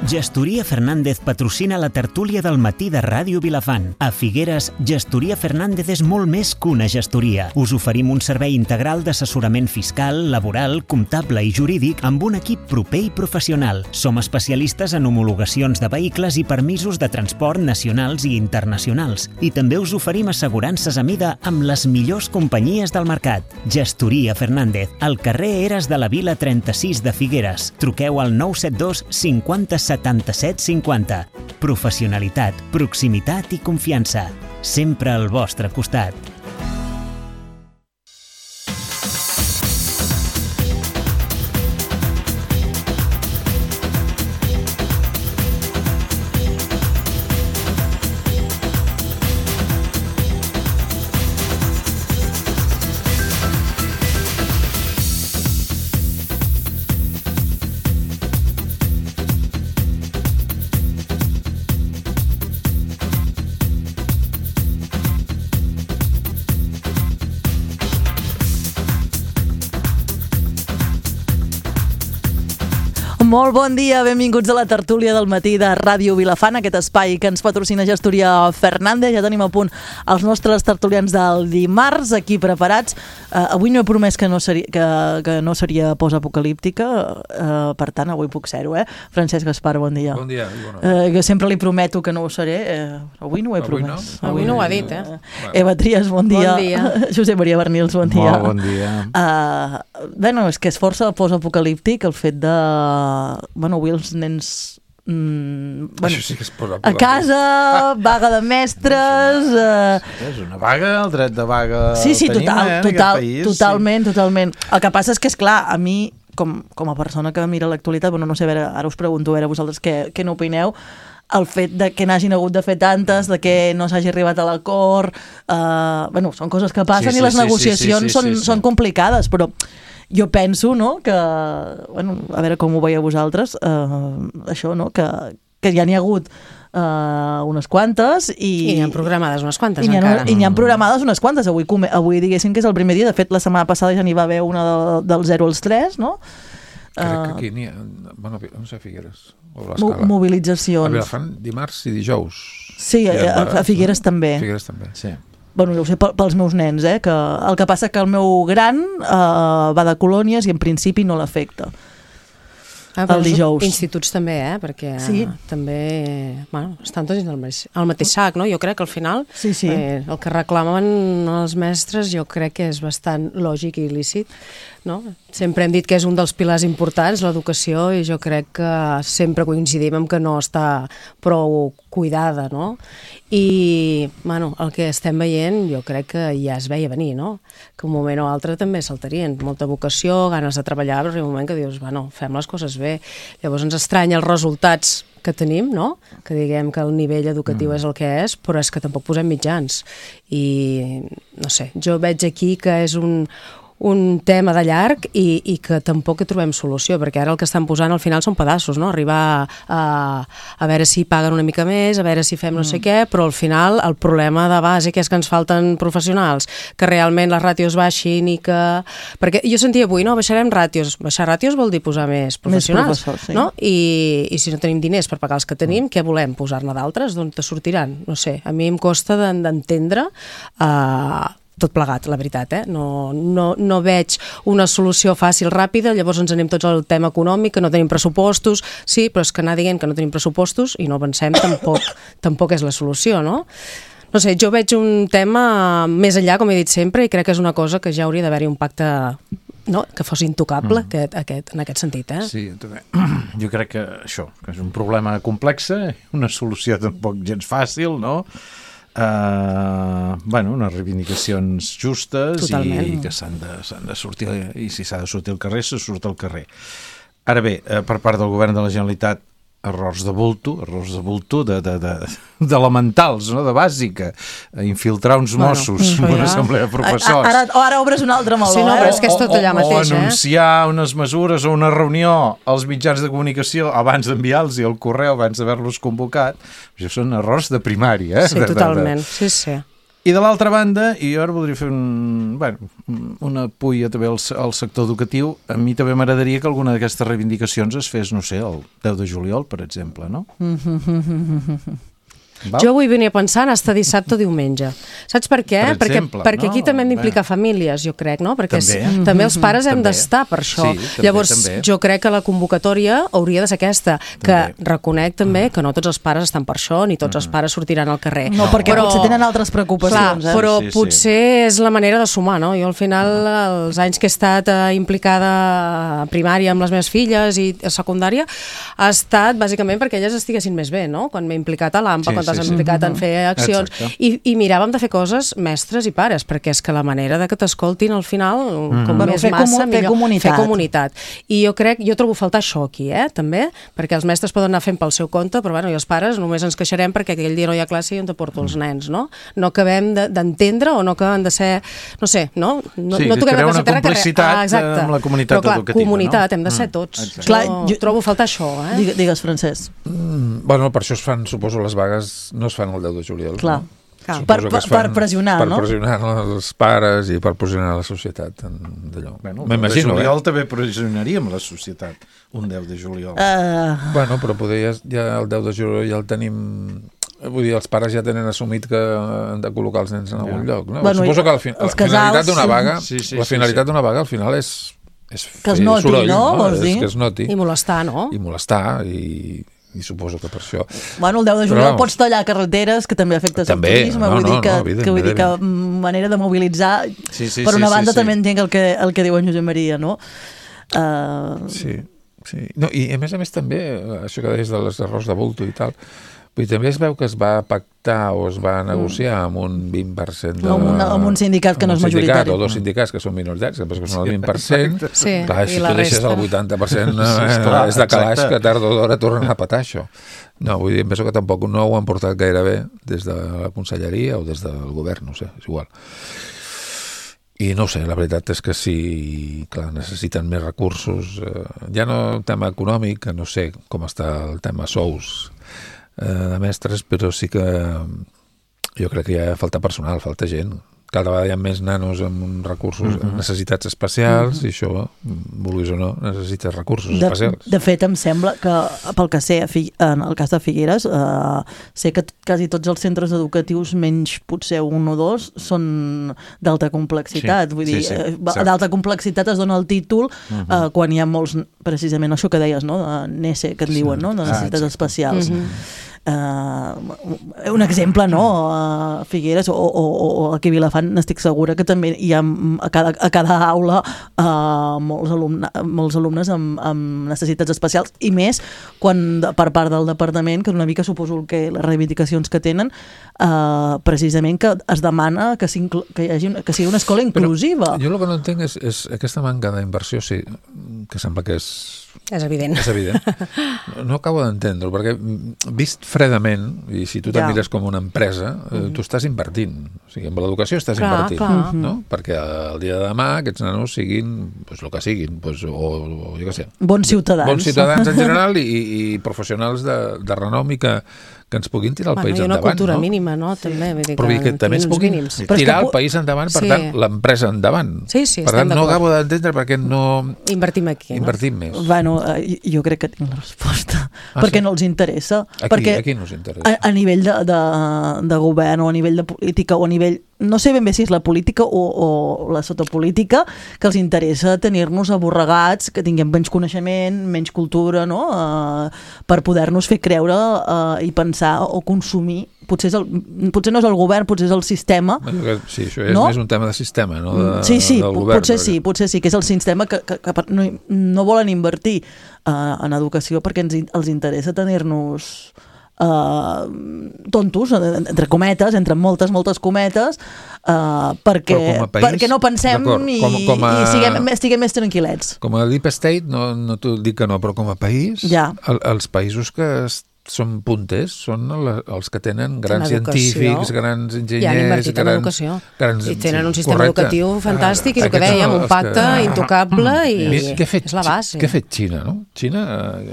Gestoria Fernández patrocina la tertúlia del matí de Ràdio Vilafant. A Figueres, Gestoria Fernández és molt més que una gestoria. Us oferim un servei integral d'assessorament fiscal, laboral, comptable i jurídic amb un equip proper i professional. Som especialistes en homologacions de vehicles i permisos de transport nacionals i internacionals. I també us oferim assegurances a mida amb les millors companyies del mercat. Gestoria Fernández, al carrer Eres de la Vila 36 de Figueres. Truqueu al 972 50 77 50. Professionalitat, proximitat i confiança. Sempre al vostre costat. Molt bon dia, benvinguts a la tertúlia del matí de Ràdio Vilafant, aquest espai que ens patrocina Gestoria Fernández. Ja tenim a punt els nostres tertulians del dimarts, aquí preparats. Avui no he promès que no seria postapocalíptica, per tant, avui puc ser-ho, Francesc Gaspar, bon dia. Bon dia. Que sempre li prometo que no ho seré. Avui no ho he promès. Avui no ho ha dit, Eva Trias, bon dia. Bon dia. Josep Maria Bernils, bon dia. Molt bon dia. Bueno, és que és força postapocalíptic el fet de... Bueno, avui els nens... Això sí que és a casa, vaga de mestres... És una vaga, el dret de vaga sí, país. Totalment. El que passa és que, esclar, a mi, com a persona que mira l'actualitat, bueno, no sé, ara us pregunto, a veure vosaltres què n'opineu, el fet de que n'hagin hagut de fer tantes, de que no s'hagi arribat a l'acord... Bueno, són coses que passen i les negociacions són complicades, però... Jo penso, no?, que, bueno, a veure com ho veieu vosaltres, això, no?, que ja n'hi ha hagut unes quantes i n'hi han programades unes quantes encara. I n'hi han programades unes quantes. Avui diguéssim que és el primer dia. De fet, la setmana passada ja n'hi va haver una del 0 als 3, no? Crec que aquí n'hi ha... Bueno, no sé, Figueres o l'Escala. Mobilitzacions. A Vilafant dimarts i dijous. Sí, a Figueres també. Figueres també, sí. Bueno, jo ho sé pels meus nens, que el que passa que el meu gran va de colònies i en principi no l'afecta. El dijous. Instituts també, perquè sí. També estan tots al mateix sac, no? Jo crec que al final sí. El que reclamen els mestres jo crec que és bastant lògic i il·lícit, no? Sempre hem dit que és un dels pilars importants, l'educació, i jo crec que sempre coincidim en que no està prou cuidada, no? I, el que estem veient jo crec que ja es veia venir, no? Que un moment o altre també saltarien. Molta vocació, ganes de treballar, però hi ha un moment que dius, fem les coses bé. Llavors ens estranya els resultats que tenim, no? Que diguem que el nivell educatiu és el que és, però és que tampoc posem mitjans. I, no sé, jo veig aquí que és un tema de llarg i que tampoc hi trobem solució, perquè ara el que estan posant al final són pedaços, no? Arribar a veure si paguen una mica més, a veure si fem no sé què, però al final el problema de bàsic és que ens falten professionals, que realment les ràtios baixin i que... Perquè jo sentia avui, baixarem ràtios. Baixar ràtios vol dir posar més professionals, sí. No? I si no tenim diners per pagar els que tenim, què volem? Posar-ne d'altres? D'on te sortiran? No sé, a mi em costa d'entendre tot plegat, la veritat, No veig una solució fàcil, ràpida, llavors ens anem tots al tema econòmic, que no tenim pressupostos, sí, però és que anar dient que no tenim pressupostos i no avancem tampoc és la solució, no? No sé, jo veig un tema més enllà, com he dit sempre, i crec que és una cosa que ja hauria d'haver-hi un pacte, no?, que fos intocable en aquest sentit, Sí, també. Jo crec que això, que és un problema complex, una solució tampoc gens fàcil, no? Unes reivindicacions justes i que s'han de sortir, i si s'ha de sortir al carrer, se surt al carrer. Ara bé, per part del govern de la Generalitat, errors de bulto, d'elementals, no? De bàsica, infiltrar uns Mossos en una assemblea de professors. Ara obres un altre meló. Sí, no, però és que és tot allà mateix. O anunciar unes mesures o una reunió als mitjans de comunicació abans d'enviar-los el correu, abans d'haver-los convocat. Això són errors de primària. Sí, totalment, sí. I de l'altra banda, i jo ara voldria fer una pulla també al sector educatiu, a mi també m'agradaria que alguna d'aquestes reivindicacions es fes, no sé, el 10 de juliol, per exemple, no? Val? Jo avui venia pensant hasta dissabte o diumenge. Saps per què? Per exemple, perquè aquí també hem d'implicar famílies, jo crec, no? Perquè també els pares hem d'estar per això. Sí, llavors, jo crec que la convocatòria hauria de ser aquesta, que reconec també que no tots els pares estan per això, ni tots els pares sortiran al carrer. No, perquè potser tenen altres preocupacions. Clar, però potser és la manera de sumar, no? Jo al final, els anys que he estat implicada a primària amb les meves filles i a secundària, ha estat bàsicament perquè elles estiguessin més bé, no? Quan m'he implicat a l'AMPA, quan t'has implicat en fer accions, i miràvem de fer coses mestres i pares, perquè és que la manera de que t'escoltin al final, com més massa, millor. Fer comunitat. I jo trobo a faltar això aquí, també, perquè els mestres poden anar fent pel seu compte, però bueno, i els pares només ens queixarem perquè aquell dia no hi ha classe i on te porto els nens, no? No acabem d'entendre o no acabem de ser, no sé, no? Sí, que crear una complicitat amb la comunitat educativa. Però clar, comunitat, hem de ser tots. Jo trobo a faltar això, Digues, Francesc. Bueno, per això es fan, suposo, les vagues no es fan el 10 de juliol. Clar. No? Per pressionar, no? no? Per pressionar els pares i per pressionar la societat d'allò. Bueno, el 10 de juliol també pressionaríem la societat, un 10 de juliol. Bueno, però poder ja el 10 de juliol ja el tenim... Vull dir, els pares ja tenen assumit que han de col·locar els nens en algun lloc. No? Bueno, suposo que la finalitat d'una vaga, la finalitat d'una vaga al final és que es noti, soroll, no? És que es noti. I molestar, no? I molestar, i suposo que per això... Bueno, el 10 de juliol pots tallar carreteres, que també afecta el turisme, vull dir que manera de mobilitzar... Per una banda també entenc el que diu en Josep Maria, no? Sí. No, i a més també, això que deies de les errors de bulto i tal, vull dir, també es veu que es va pactar o es va negociar amb un 20% amb un sindicat que no és majoritari. O dos sindicats que són minoritats, que són el 20%. Clar, si tu deixes el 80% és de calaix que tard o d'hora tornen a petar això. No, vull dir, em penso que tampoc no ho han portat gaire bé des de la conselleria o des del govern, no sé, és igual. I no ho sé, la veritat és que sí, clar, necessiten més recursos. Ja no el tema econòmic, que no sé com està el tema sous de mestres, però sí que jo crec que ja falta personal, falta gent. Cada vegada hi ha més nanos amb recursos, necessitats especials, i això, vulguis o no, necessites recursos especials. De fet, em sembla que, pel que sé, en el cas de Figueres, sé que quasi tots els centres educatius, menys potser un o dos, són d'alta complexitat. Vull dir, d'alta complexitat es dona el títol quan hi ha molts, precisament això que deies, no? De NESE, que en diuen, no? De necessitats especials. Un exemple, no? A Figueres o aquí a Vilafant n'estic segura que també hi ha a cada aula molts alumnes amb necessitats especials, i més quan per part del departament, que una mica suposo que les reivindicacions que tenen, precisament que es demana que sigui una escola inclusiva. Però jo el que no entenc és aquesta manca d'inversió, sí, que sembla que és evident. És evident. No acabo d'entendre-ho, perquè vist fredament, i si tu te mires com una empresa, tu estàs invertint. O sigui, amb l'educació estàs invertint. No? Perquè el dia de demà aquests nanos siguin, doncs el que siguin, o jo què sé. Bons ciutadans. Bons ciutadans en general i professionals de renom i que ens puguin tirar el país endavant. I una cultura mínima, no? També, però que també ens puguin tirar el país endavant, per tant, l'empresa endavant. Sí, per tant, no acabo d'entendre per què no invertim aquí. Invertim més. Bueno, jo crec que tinc la resposta. Perquè no els interessa. A qui no els interessa? A nivell de govern o a nivell de política o a nivell... No sé ben bé si és la política o la sotopolítica, que els interessa tenir-nos aborregats, que tinguem menys coneixement, menys cultura, no? Per poder-nos fer creure i pensar o consumir. Potser no és el govern, potser és el sistema. Sí, això és més un tema de sistema, no? Sí, potser sí, que és el sistema que no volen invertir en educació perquè els interessa tenir-nos tontos, entre cometes, entre moltes cometes, perquè no pensem i estiguem més tranquil·lets. Com a deep state, no t'ho dic que no, però com a país, els països que són punters, són els que tenen grans científics, grans enginyers... I han invertit en educació. I tenen un sistema educatiu fantàstic, i el que dèiem, un pacte intocable, i és la base. Què ha fet Xina, no? Xina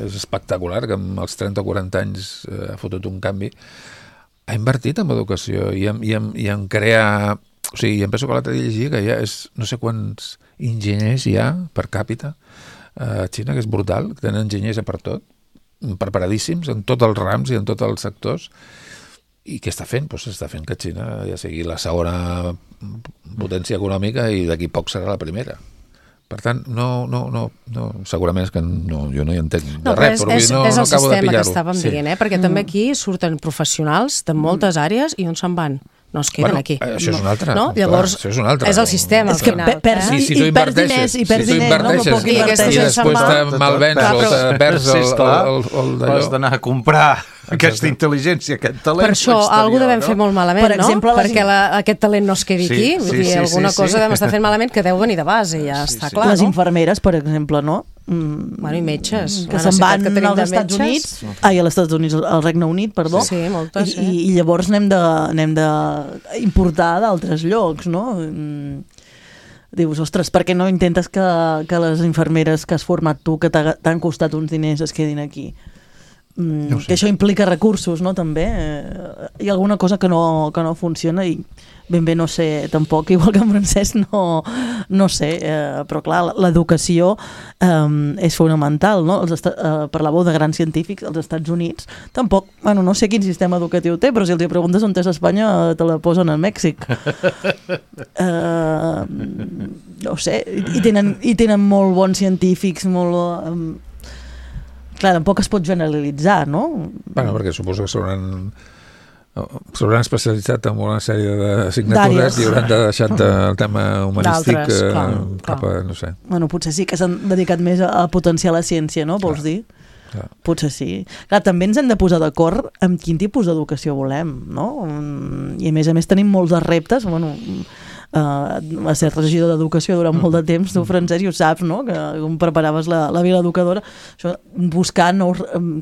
és espectacular, que amb els 30 o 40 anys ha fotut un canvi. ha invertit en educació i en crear... O sigui, em penso que l'altre dia llegia que ja és no sé quants enginyers hi ha per càpita a Xina, que és brutal, que tenen enginyers per tot, preparadíssims en tots els rams i en tots els sectors. I què està fent? Doncs està fent que Xina ja sigui la segona potència econòmica i d'aquí poc serà la primera. Per tant, no, segurament és que jo no hi entenc de res, però és no el acabo de sistema pillar-ho. que estàvem dient, perquè també aquí surten professionals de moltes àrees i on se'n van? No es queden aquí. Això és un altre. No? Llavors, això és un altre. és el sistema, al final. Si tu inverteixes i després te malvens o te perds el d'allò. Has d'anar a comprar aquesta intel·ligència, aquest talent. Per això, alguna devem fer molt malament, no? Perquè aquest talent no es quedi aquí. Vull dir, alguna cosa devem estar fent malament que deu venir de base, ja està clar. Les infermeres, per exemple, no? Bueno, i metges. Que se'n van als Estats Units, als Estats Units, al Regne Unit, perdó. Sí, moltes, sí. I llavors n'hem de importar d'altres llocs, no? Dius, ostres, per què no intentes que les infermeres que has format tu, que t'han costat uns diners, es quedin aquí? Que això implica recursos, no?, també. Hi ha alguna cosa que no funciona i ben bé no sé tampoc, igual que en Francesc no sé, però clar, l'educació és fonamental, no? Parlàveu de grans científics, als Estats Units tampoc, bueno, no sé quin sistema educatiu té, però si els preguntes on és Espanya te la posen a Mèxic. No sé, i tenen molt bons científics, molt... Clar, tampoc es pot generalitzar, no? Bueno, perquè suposo que s'hauran especialitzat en una sèrie d'assignatures i hauran de deixar el tema humanístic cap a, no sé. Bueno, potser sí que s'han dedicat més a potenciar la ciència, no? Vols dir? Clar. Potser sí. Clar, també ens hem de posar d'acord amb quin tipus d'educació volem, no? I a més tenim molts de reptes, bueno... a ser regidor d'educació durant molt de temps, tu, Francesc, i ho saps, no?, que com preparaves la Vila Educadora, això, buscar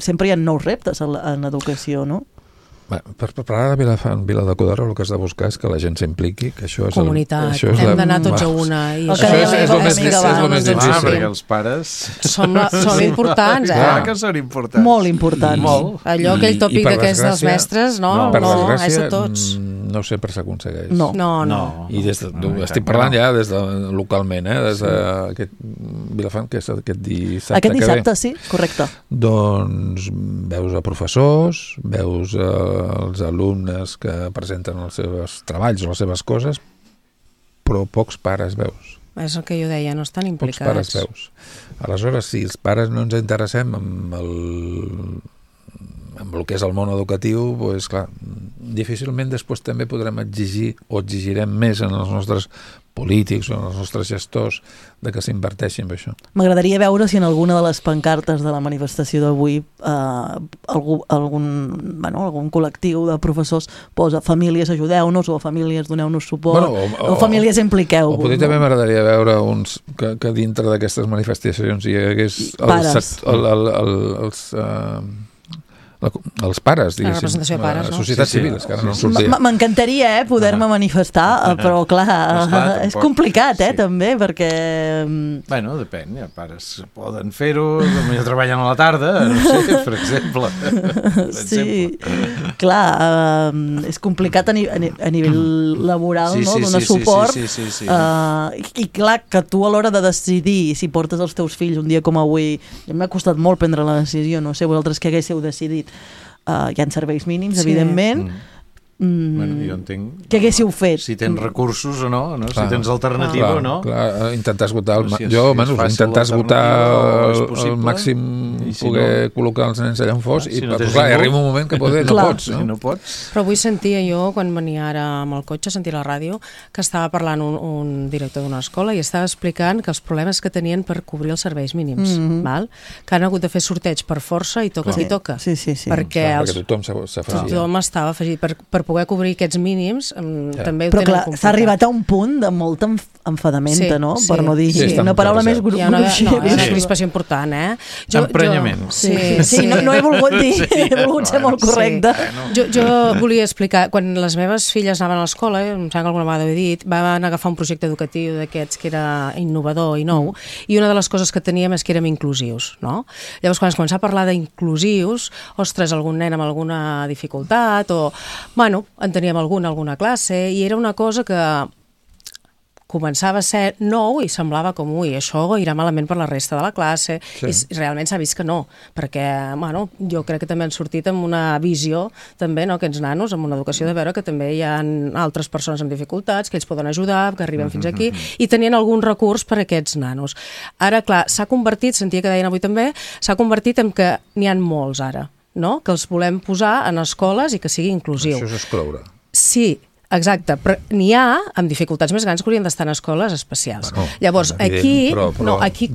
sempre hi ha nous reptes en educació, no? Per preparar la Vila Educadora el que has de buscar és que la gent s'impliqui, que això és comunitat, hem d'anar tots a una. Això és el més difícil. Perquè els pares... Som importants, Clar que són importants. Molt importants. Allò, aquell tòpic que és dels mestres, no, és de tots. No sempre s'aconsegueix. No. I estic parlant ja des de localment, des d'aquest Vilafant, que és aquest dissabte que ve. Aquest dissabte, sí, correcte. Doncs veus a professors, veus els alumnes que presenten els seus treballs o les seves coses, però pocs pares veus. És el que jo deia, no estan implicats. Pocs pares veus. Aleshores, si els pares no ens interessem amb el que és el món educatiu, doncs clar, difícilment després també podrem exigir o exigirem més en els nostres polítics o en els nostres gestors de que s'inverteixin en això. M'agradaria veure si en alguna de les pancartes de la manifestació d'avui algun col·lectiu de professors posa famílies ajudeu-nos o famílies doneu-nos suport o famílies impliqueu-vos. O potser també m'agradaria veure uns que dintre d'aquestes manifestacions hi hagués els pares, diguéssim. La representació de pares, no? La societat civil, que ara no sortia. M'encantaria poder-me manifestar, però clar, és complicat, també, perquè... Bueno, depèn, hi ha pares que poden fer-ho, potser treballen a la tarda, no sé, per exemple. Sí, clar, és complicat a nivell laboral, no? Donar suport. I clar, que tu a l'hora de decidir si portes els teus fills un dia com avui, m'ha costat molt prendre la decisió, no sé vosaltres què haguéssiu decidit. Hi ha serveis mínims, evidentment. Bueno, jo entenc... Què haguéssiu fet? Si tens recursos o no, si tens alternativa o no. Clar, intentar esgotar intentar esgotar el màxim, poder col·locar els nens allà on fos, i clar, arriba un moment que no pots. Però avui sentia jo, quan venia ara amb el cotxe, sentia la ràdio, que estava parlant un director d'una escola i estava explicant que els problemes que tenien per cobrir els serveis mínims, que han hagut de fer sorteig per força i toca qui toca. Sí. Perquè tothom s'ha afegit. Tothom estava afegit per poder cobrir aquests mínims també ho però tenen clar, complicat. s'ha arribat a un punt de molta enfadamenta, no? Per no dir una paraula més Hi ha una crispació important, Emprenyament. Sí, no he volgut dir, he volgut ser molt correcte. Jo volia explicar, quan les meves filles anaven a l'escola, em sembla que alguna vegada ho he dit, van agafar un projecte educatiu d'aquests que era innovador i nou, i una de les coses que teníem és que érem inclusius, no? Llavors, quan es començava a parlar d'inclusius, ostres, algun nen amb alguna dificultat, o, bueno, en teníem alguna classe, i era una cosa que començava a ser nou i semblava com, ui, això irà malament per la resta de la classe, i realment s'ha vist que no, perquè, bueno, jo crec que també han sortit amb una visió, també, no?, aquests nanos, amb una educació de veure que també hi ha altres persones amb dificultats, que ells poden ajudar, que arriben fins aquí, i tenien algun recurs per a aquests nanos. Ara, clar, s'ha convertit, sentia que deien avui també, s'ha convertit en que n'hi ha molts ara, no?, que els volem posar en escoles i que sigui inclusiu. Això és excloure. Sí, exacte, però n'hi ha amb dificultats més grans que haurien d'estar en escoles especials. Bueno, llavors, aquí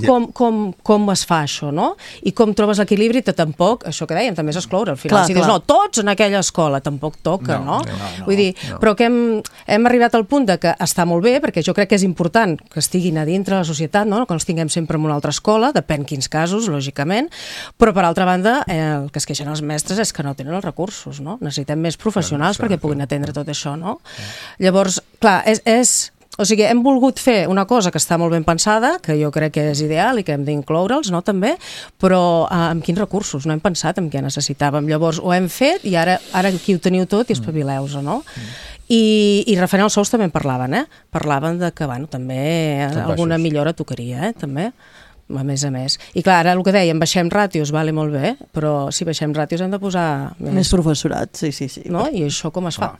com es fa això, no? I com trobes l'equilibri, que tampoc, això que dèiem, també és excloure. Al final, si dius, no, tots en aquella escola, tampoc toca, no? Vull dir, però que hem arribat al punt de que està molt bé, perquè jo crec que és important que estiguin a dintre la societat, no? Que els tinguem sempre en una altra escola, depèn quins casos, lògicament, però per altra banda, el que es queixen els mestres és que no tenen els recursos, no? Necessitem més professionals perquè puguin atendre tot això, no? Llavors, clar, o sigui, hem volgut fer una cosa que està molt ben pensada, que jo crec que és ideal i que hem d'incloure'ls, no, també, però amb quins recursos? No hem pensat en què necessitàvem. Llavors, ho hem fet i ara aquí ho teniu tot i espavileu-vos, no? I referent als sous també en parlaven, Parlaven de que, bueno, també alguna millora tocaria, també, a més. I clar, ara el que dèiem, baixem ràtios, vale, molt bé, però si baixem ràtios hem de posar més professorat, sí. No? I això com es fa?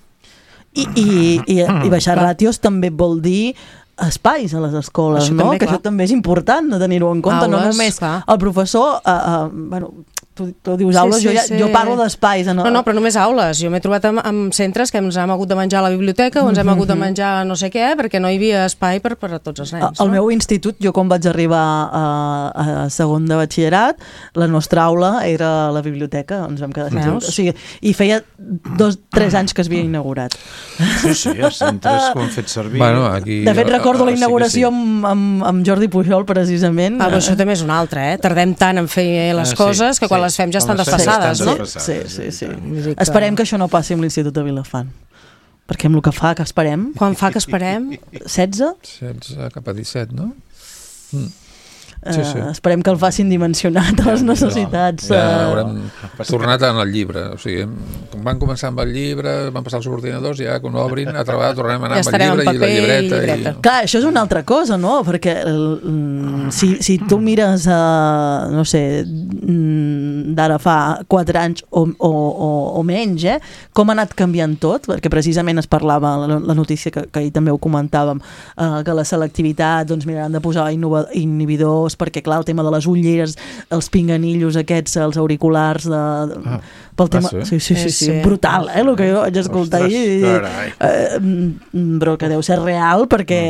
I baixar ràtios també vol dir espais a les escoles, això no? També, que això també és important de tenir-ho en compte, no només el professor, bueno, tu dius aules, jo parlo d'espais. No, però només aules. Jo m'he trobat amb centres que ens hem hagut de menjar a la biblioteca o ens hem hagut de menjar no sé què, perquè no hi havia espai per a tots els nens. Al meu institut, jo quan vaig arribar a segon de batxillerat, la nostra aula era la biblioteca, ens vam quedar sense. O sigui, i feia 3 anys que es havia inaugurat. Sí, els centres que ho han fet servir. Bueno, aquí... De fet, recordo la inauguració amb Jordi Pujol, precisament. Però això també és una altra, Tardem tant en fer les coses que quan les fem ja estan desfasades, no? Sí. Esperem que això no passi amb l'Institut de Vilafant. Perquè amb el que fa que esperem... Quan fa que esperem? 16? 16 cap a 17, no? Esperem que el facin dimensionat a les necessitats. Ja haurem tornat en el llibre, o sigui, van començar amb el llibre, van passar els ordinadors, ja quan obrin a treballar tornem a anar amb el llibre i la llibreta. Clar, això és una altra cosa, no? Perquè si tu mires, no sé, d'ara fa 4 anys o menys, com ha anat canviant tot, perquè precisament es parlava, la notícia que ahir també ho comentàvem, que la selectivitat, doncs miraran de posar inhibidors, perquè clar, el tema de les ulleres, els pinganillos aquests, els auriculars pel tema... Sí, brutal, el que jo vaig escoltar ahir, però que deu ser real, perquè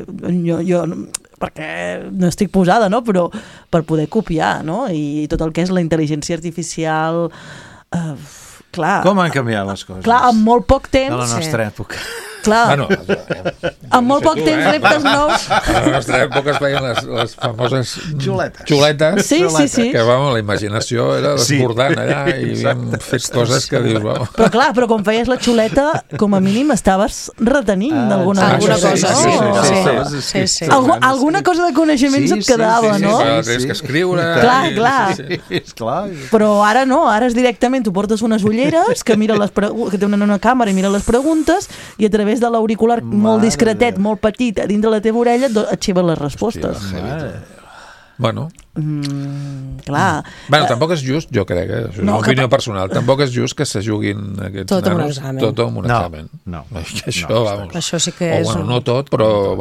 jo perquè no estic posada, no? Però per poder copiar, no? I tot el que és la intel·ligència artificial, clar... Com han canviat les coses? Clar, en molt poc temps... De la nostra època. Clar, en molt poc temps reptes nous. A la nostra època es feien les famoses xuletes. Sí. Que, la imaginació era desbordant allà i havíem fet coses que dius, vamos. Però clar, però quan feies la xuleta, com a mínim estaves retenint d'alguna cosa. Sí. Alguna cosa de coneixements et quedava, no? Tens que escriure. Clar. Però ara no, ara és directament, tu portes unes ulleres que tenen una càmera i mira les preguntes i a través de l'auricular molt discretet, molt petit, a dintre la teva orella, et xiven les respostes. Bueno. Clar. Bueno, tampoc és just, jo crec, és una opinió personal, tampoc és just que se juguin aquests nanos tot amb un examen. No. Això, vamos. Això sí que és... no tot, però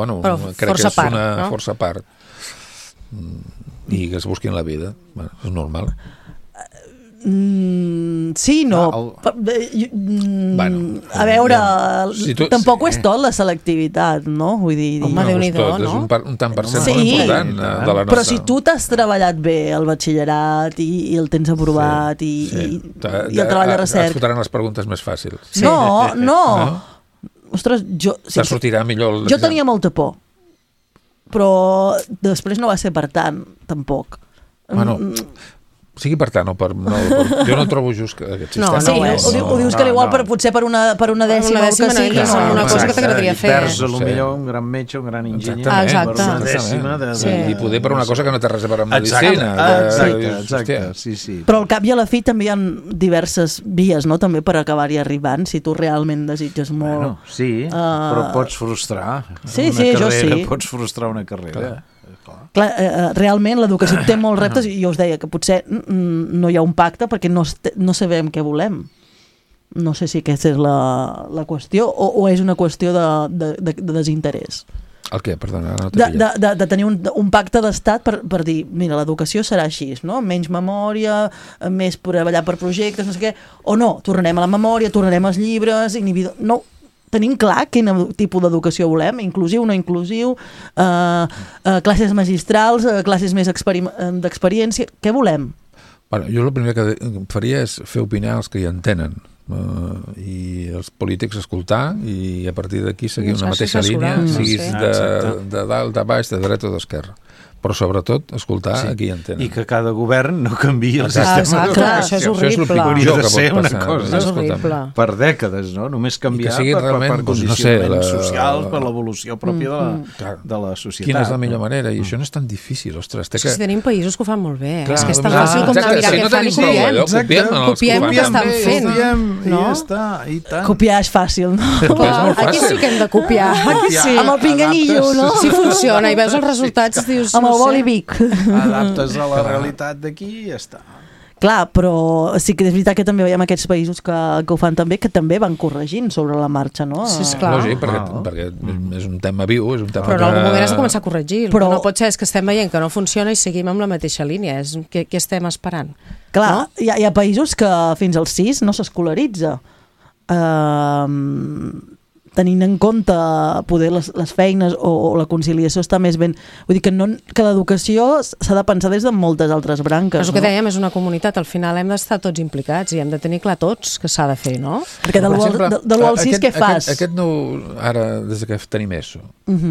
crec que és una força part. I que es busquin la vida. És normal. Sí, no. A veure, tampoc ho és tot la selectivitat, no? Vull dir... Home, Déu-n'hi-do, no? És un tant per cent molt important de la nostra... Però si tu t'has treballat bé el batxillerat i el tens aprovat i el treball de recerca... Et fotran les preguntes més fàcils. No. Ostres, te sortirà millor... Jo tenia molta por, però després no va ser per tant, tampoc. Bueno... sigui per tant, jo no trobo just que aquest sistema... Ho dius que l'igual potser per una dècima o que sigui, una cosa que t'agradaria fer. Perds potser un gran metge, un gran enginyer, per una dècima i poder per una cosa que no té res a veure amb medicina. Exacte, sí. Però al cap i a la fi també hi ha diverses vies, no?, també per acabar-hi arribant, si tu realment desitges molt... Sí, però pots frustrar jo sí. Pots frustrar una carrera. Clar, realment l'educació té molts reptes i jo us deia que potser no hi ha un pacte perquè no sabem què volem. No sé si aquesta és la qüestió o és una qüestió de desinterès. El què? Perdona, no de tenir un pacte d'estat per dir, mira, l'educació serà així, no? Menys memòria, més treballar per projectes, no sé què, o no, tornarem a la memòria, tornarem als llibres, no, tenim clar quin tipus d'educació volem, inclusiu, no inclusiu, classes magistrals, classes més d'experiència, què volem? Bueno, jo el primer que faria és fer opinar els que hi entenen i els polítics escoltar i a partir d'aquí seguir una mateixa línia, siguis de dalt, de baix, de dreta o d'esquerra. Però sobretot escoltar a qui entenen. I que cada govern no canviï el sistema Això d'educació. és horrible. Hauria de ser una cosa per dècades, no? Només canviar per condicionaments socials, per l'evolució pròpia de la societat. Quina és la millor manera? I això no és tan difícil, ostres. Si tenim països que ho fan molt bé. És que és tan fàcil com anar a mirar què fan i copiem. Copiem el que estan fent. I ja està, i tant. Copiar és fàcil, no? Aquí sí que hem de copiar. Amb el pinganillo, no? Si funciona i veus els resultats, dius... el boli Vic. Adaptes a la realitat d'aquí i ja està. Clar, però sí que és veritat que també veiem aquests països que ho fan també, que també van corregint sobre la marxa, no? Sí, esclar. Lògic, perquè és un tema viu, és un tema... Però en algun moment has de començar a corregir. Però no pot ser, és que estem veient que no funciona i seguim amb la mateixa línia. Què estem esperant? Clar, hi ha països que fins als 6 no s'escolaritza. Tenint en compte poder les feines o la conciliació està més ben... Vull dir que l'educació s'ha de pensar des de moltes altres branques. Però el que dèiem és una comunitat, al final hem d'estar tots implicats i hem de tenir clar tots que s'ha de fer, no? Perquè de l'1 al 6 què fas? Aquest nou, ara, des que tenim ESO,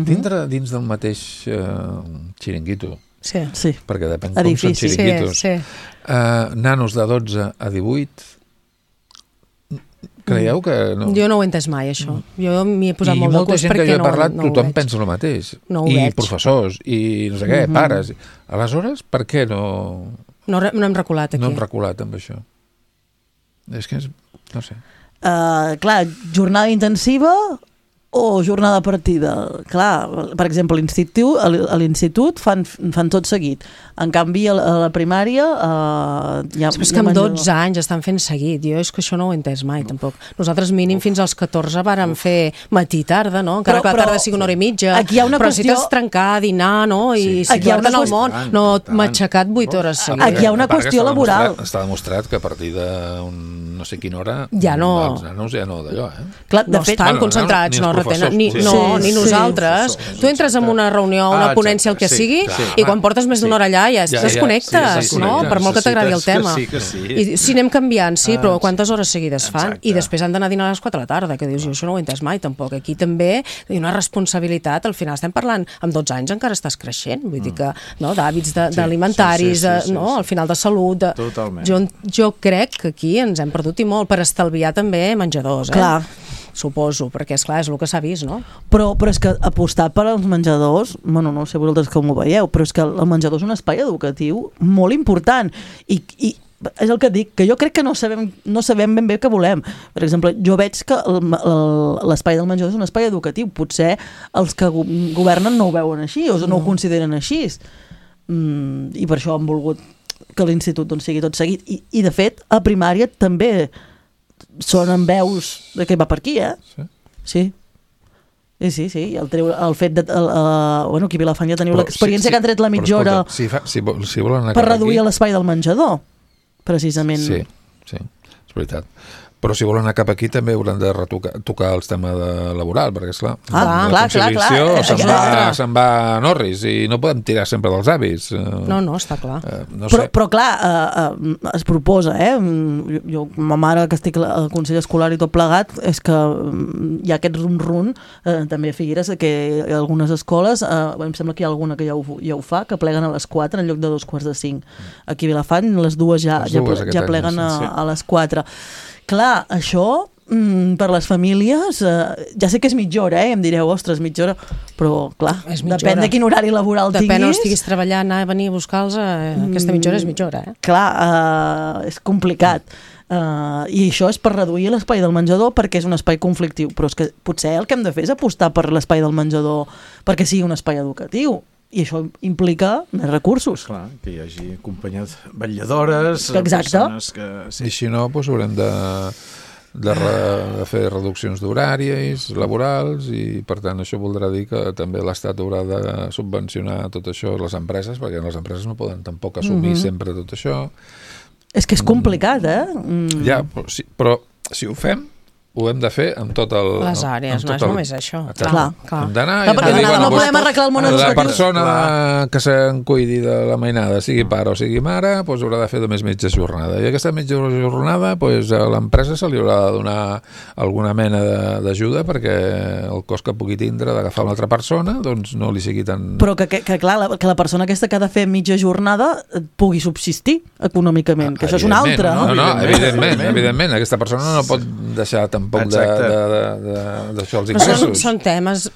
tindre dins del mateix xiringuito, sí. perquè depèn com són xiringuitos, nanos de 12 a 18... Creieu que no? Jo no ho he entès mai, això. Jo m'hi he posat molt de curs perquè no ho veig. I molta gent que jo he parlat, tothom pensa el mateix. I professors, i no sé què, pares. Aleshores, per què no... No hem reculat aquí. No hem reculat amb això. És que no sé. Clar, jornada intensiva o jornada partida. Clar, per exemple, a l'institut fan tot seguit. En canvi, a la primària... És que amb 12 anys estan fent seguit. Jo és que això no ho he entès mai, tampoc. Nosaltres mínim fins als 14 vàrem fer matí-tarda, no? Encara que la tarda sigui una hora i mitja. Però si t'has trencar, dinar, no? I situar-te en el món. No m'ha aixecat 8 hores seguides. Aquí hi ha una qüestió laboral. Està demostrat que a partir d'un no sé quina hora ja no... els nanos ja no d'allò, Clar, no estan concentrats, no retenen. Ni nosaltres. Tu entres en una reunió, una ponència, el que sigui, i quan portes més d'una hora allà ja es desconnectes, no? Per molt que t'agradi el tema. I si anem canviant, sí, però quantes hores seguides fan? I després han d'anar a dinar a les 4 de la tarda, que dius, jo això no ho he entès mai, tampoc. Aquí també hi ha una responsabilitat, al final estem parlant, amb 12 anys encara estàs creixent, vull dir que, d'hàbits alimentaris, al final de salut... Jo crec que aquí ens hem perdut i molt per estalviar també menjadors, Clar. Suposo, perquè és el que s'ha vist, no? Però és que apostar per als menjadors, bueno, no sé vosaltres com ho veieu, però és que el menjador és un espai educatiu molt important i és el que dic, que jo crec que no sabem ben bé què volem. Per exemple, jo veig que l'espai del menjador és un espai educatiu. Potser els que governen no ho veuen així o no ho consideren així. I per això han volgut que l'institut sigui tot seguit. I de fet, a primària també sonen veus de que va per aquí, Sí. Sí. El fet de... Bueno, aquí a Vilafant ja teniu l'experiència que han tret la mitja hora si volen per reduir l'espai del menjador, precisament. Sí. és veritat. Però si volen anar cap aquí també hauran de tocar el tema laboral, perquè esclar, clar. Se'n va a Norris i no podem tirar sempre dels avis. No, està clar. Però clar, es proposa, jo, ma mare que estic al Consell Escolar i tot plegat, és que hi ha aquest run-run, també a Figueres, que algunes escoles, em sembla que hi ha alguna que ja ho fa, que pleguen a les 4 en lloc de 2:45. Aquí a Vilafant les dues ja pleguen a les 4. Clar, això per les famílies, ja sé que és mitja hora, em direu, ostres, mitja hora, però clar, depèn de quin horari laboral tinguis. Depèn on estiguis treballant, anar a venir a buscar-los, aquesta mitja hora és mitja hora. Clar, és complicat. I això és per reduir l'espai del menjador perquè és un espai conflictiu, però és que potser el que hem de fer és apostar per l'espai del menjador perquè sigui un espai educatiu. I això implica més recursos. Clar, que hi hagi acompanyat vetlladores, persones que... Sí. I si no, doncs haurem de fer reduccions d'horaris laborals i, per tant, això voldrà dir que també l'Estat haurà de subvencionar tot això a les empreses, perquè les empreses no poden tampoc assumir sempre tot això. És que és complicat, Ja, però si ho fem, ho hem de fer amb tot el... Les àrees, no és només això. Clar. Hem d'anar... No podem arreglar el món educatiu. La persona que se'n cuidi de la mainada, sigui pare o sigui mare, doncs haurà de fer només mitja jornada. I aquesta mitja jornada, a l'empresa se li haurà de donar alguna mena d'ajuda perquè el cost que pugui tindre d'agafar una altra persona doncs no li sigui tan... Però que clar, que la persona aquesta que ha de fer mitja jornada pugui subsistir econòmicament, que això és una altra, no? No, evidentment. Aquesta persona no pot deixar tampoc d'això els ingressos.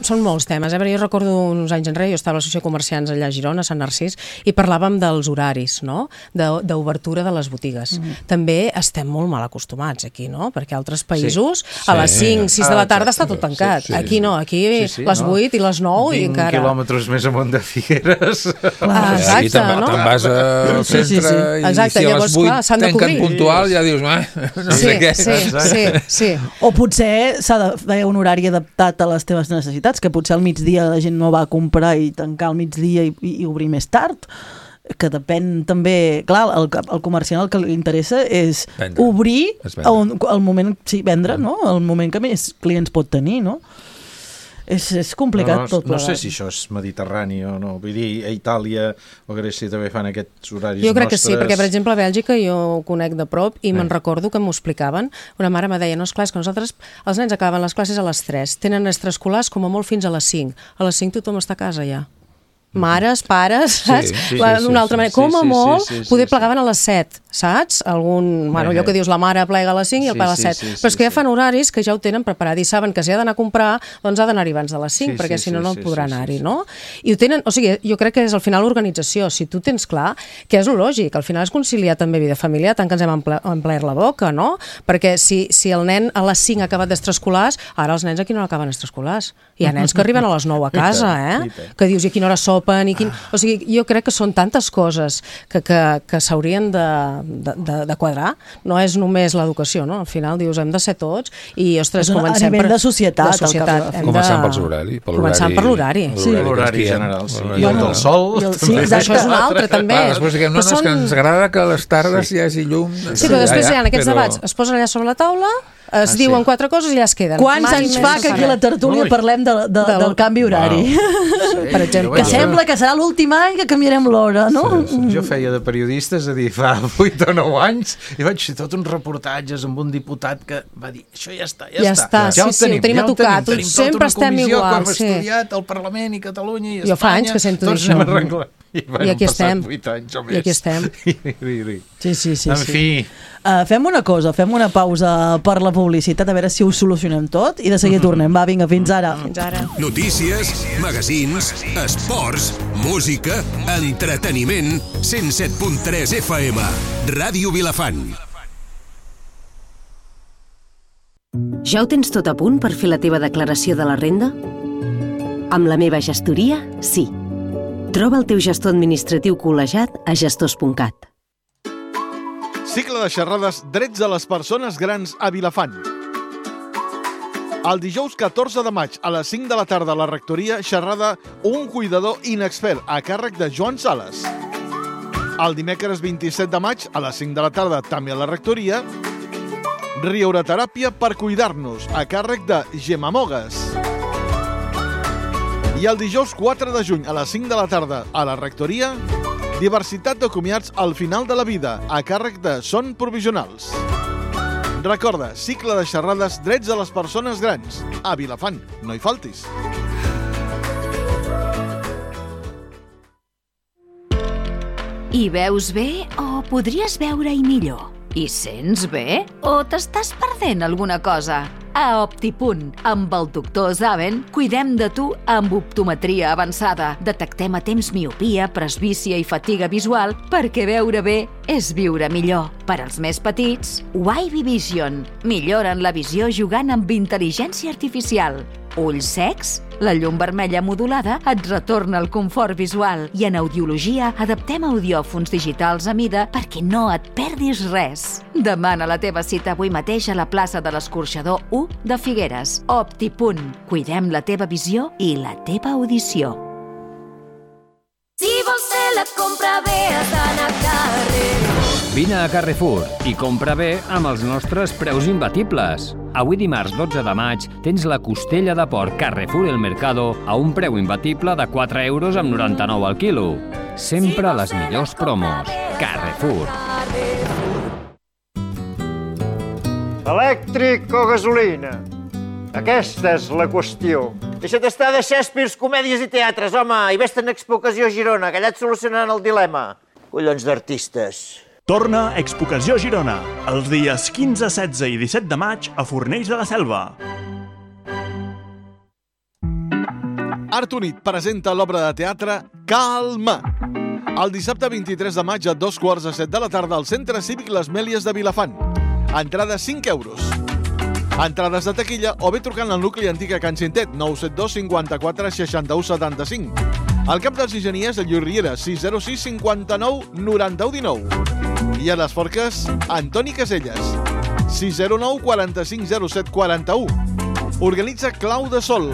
Són molts temes. Jo recordo uns anys enrere, jo estava a l'Associació de Comerciants allà a Girona, a Sant Narcís, i parlàvem dels horaris, no? D'obertura de les botigues. També estem molt mal acostumats aquí, no? Perquè a altres països a les 5, 6 de la tarda està tot tancat. Aquí no, aquí les 8 i les 9 i encara... 20 quilòmetres més amunt de Figueres. Aquí te'n vas al centre i si a les 8 tanquen puntual ja dius, no sé què. Sí. O potser s'ha de fer un horari adaptat a les teves necessitats, que potser al migdia la gent no va a comprar i tancar al migdia i obrir més tard, que depèn també... Clar, el comerciant el que li interessa és obrir el moment... Sí, vendre, no? El moment que més clients pot tenir, no? És complicat tot. No sé si això és mediterrani o no. Vull dir, a Itàlia o a Grècia també fan aquests horaris nostres. Jo crec que sí, perquè per exemple a Bèlgica jo ho conec de prop i me'n recordo que m'ho explicaven. Una mare me deia, no, esclar, és que nosaltres, els nens acaben les classes a les 3, tenen extraescolars com a molt fins a les 5. A les 5 tothom està a casa ja. Mares, pares, saps? D'una altra manera. Com a molt, poder plegaven a les 7, saps? Allò que dius, la mare plega a les 5 i el pare a les 7. Però és que ja fan horaris que ja ho tenen preparat i saben que si ha d'anar a comprar, doncs ha d'anar-hi abans de les 5, perquè si no, no podrà anar-hi, no? I ho tenen, o sigui, jo crec que és al final l'organització. Si tu tens clar, que és lògic, al final és conciliar també vida familiar, tant que ens hem omplert la boca, no? Perquè si el nen a les 5 ha acabat d'extraescolars, ara els nens aquí no acaben extraescolars. Hi ha nens que arriben a les 9 a casa, que dius, i a quina hora sopen, o sigui, jo crec que són tantes coses que s'haurien de quadrar. No és només l'educació, no? Al final dius, hem de ser tots i, ostres, comencem a nivell de societat. Començant per l'horari. Començant per l'horari. L'horari general. I el del sol. Això és un altre, també. Després diguem, no, és que ens agrada que a les tardes hi hagi llum. Sí, però després hi ha aquests debats. Es posen allà sobre la taula, es diuen 4 coses i allà es queden. Quants anys fa que aquí a la tertúlia parlem del canvi horari? Per exemple. Que sembla que serà l'últim any que canviarem l'hora, no? Jo feia de periodista, és a dir, fa 8 o 9 anys, i vaig fer tot uns reportatges amb un diputat que va dir, això ja està. Ja ho tenim a tocar. Sempre estem igual. Com hem estudiat al Parlament i Catalunya i Espanya. Jo fa anys que sento això. I aquí estem. I aquí estem. Sí. En fi... Fem una cosa, fem una pausa per la publicitat, a veure si ho solucionem tot i de seguida tornem. Va, vinga, fins ara. Notícies, magazins, esports, música, entreteniment, 107.3 FM, Ràdio Vilafant. Ja ho tens tot a punt per fer la teva declaració de la renda? Amb la meva gestoria, sí. Troba el teu gestor administratiu col·legiat a gestors.cat. Cicle de xerrades Drets de les persones grans a Vilafant. El dijous 14 de maig a les 5 de la tarda a la rectoria xerrada Un cuidador inexpert a càrrec de Joan Sales. El dimecres 27 de maig a les 5 de la tarda també a la rectoria Riureteràpia per cuidar-nos, a càrrec de Gemma Mogues. I el dijous 4 de juny a les 5 de la tarda a la Rectoria, diversitat de comiats al final de la vida, a càrrec de Son Provisionals. Recorda, cicle de xerrades drets de les persones grans. A Vilafant, no hi faltis. Hi veus bé o podries veure-hi millor? Hi sents bé o t'estàs perdent alguna cosa? A Optipunt, amb el doctor Zaven, cuidem de tu amb optometria avançada. Detectem a temps miopia, presbícia i fatiga visual perquè veure bé és viure millor. Per als més petits, Wavy Vision. Milloren la visió jugant amb intel·ligència artificial. Ulls secs? La llum vermella modulada et retorna el confort visual i en audiologia adaptem audiòfons digitals a mida perquè no et perdis res. Demana la teva cita avui mateix a la plaça de l'Escorxador 1 de Figueres. Optipunt. Cuidem la teva visió i la teva audició. Si vols fer la compra bé, has d'anar a Carrefour. Vine a Carrefour i compra bé amb els nostres preus imbatibles. Avui dimarts 12 de maig tens la costella de porc Carrefour El Mercado a un preu imbatible de 4,99 € al quilo. Sempre les millors promos. Carrefour. Elèctric o gasolina? Aquesta és la qüestió. Deixa't estar de Shakespeare, comèdies i teatres, home, i vés-te'n a Expocació Girona, que allà et solucionaran el dilema. Collons d'artistes. Torna Expocació Girona, els dies 15, 16 i 17 de maig a Fornells de la Selva. Art Unit presenta l'obra de teatre Calma. El dissabte 23 de maig a 2:15 de la tarda al Centre Cívic Les Mèlies de Vilafant. Entrada 5 €. Entrades de taquilla o bé trucant al nucli antic a Can Cintet, 972 54 61 75. Al cap dels enginyers, a Lluís Riera, 606 59 91 19. I a les Forques, Antoni Caselles, 609 45 07 41. Organitza Clau de Sol,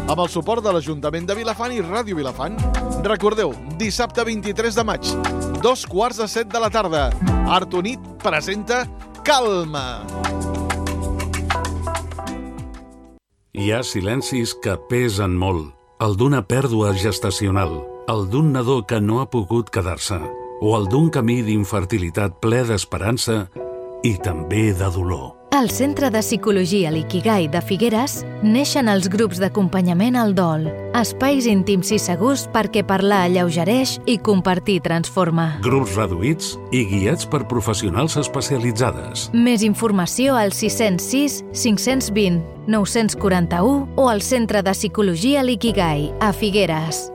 amb el suport de l'Ajuntament de Vilafant i Ràdio Vilafant. Recordeu, dissabte 23 de maig, 2:15 de la tarda. Art Unit presenta Calma. Hi ha silencis que pesen molt. El d'una pèrdua gestacional, el d'un nadó que no ha pogut quedar-se, o el d'un camí d'infertilitat ple d'esperança i també de dolor. Al Centre de Psicologia L'Ikigai de Figueres neixen els grups d'acompanyament al dol, espais íntims i segurs perquè parlar alleugereix i compartir transforma. Grups reduïts i guiats per professionals especialitzades. Més informació al 606 520 941 o al Centre de Psicologia L'Ikigai a Figueres.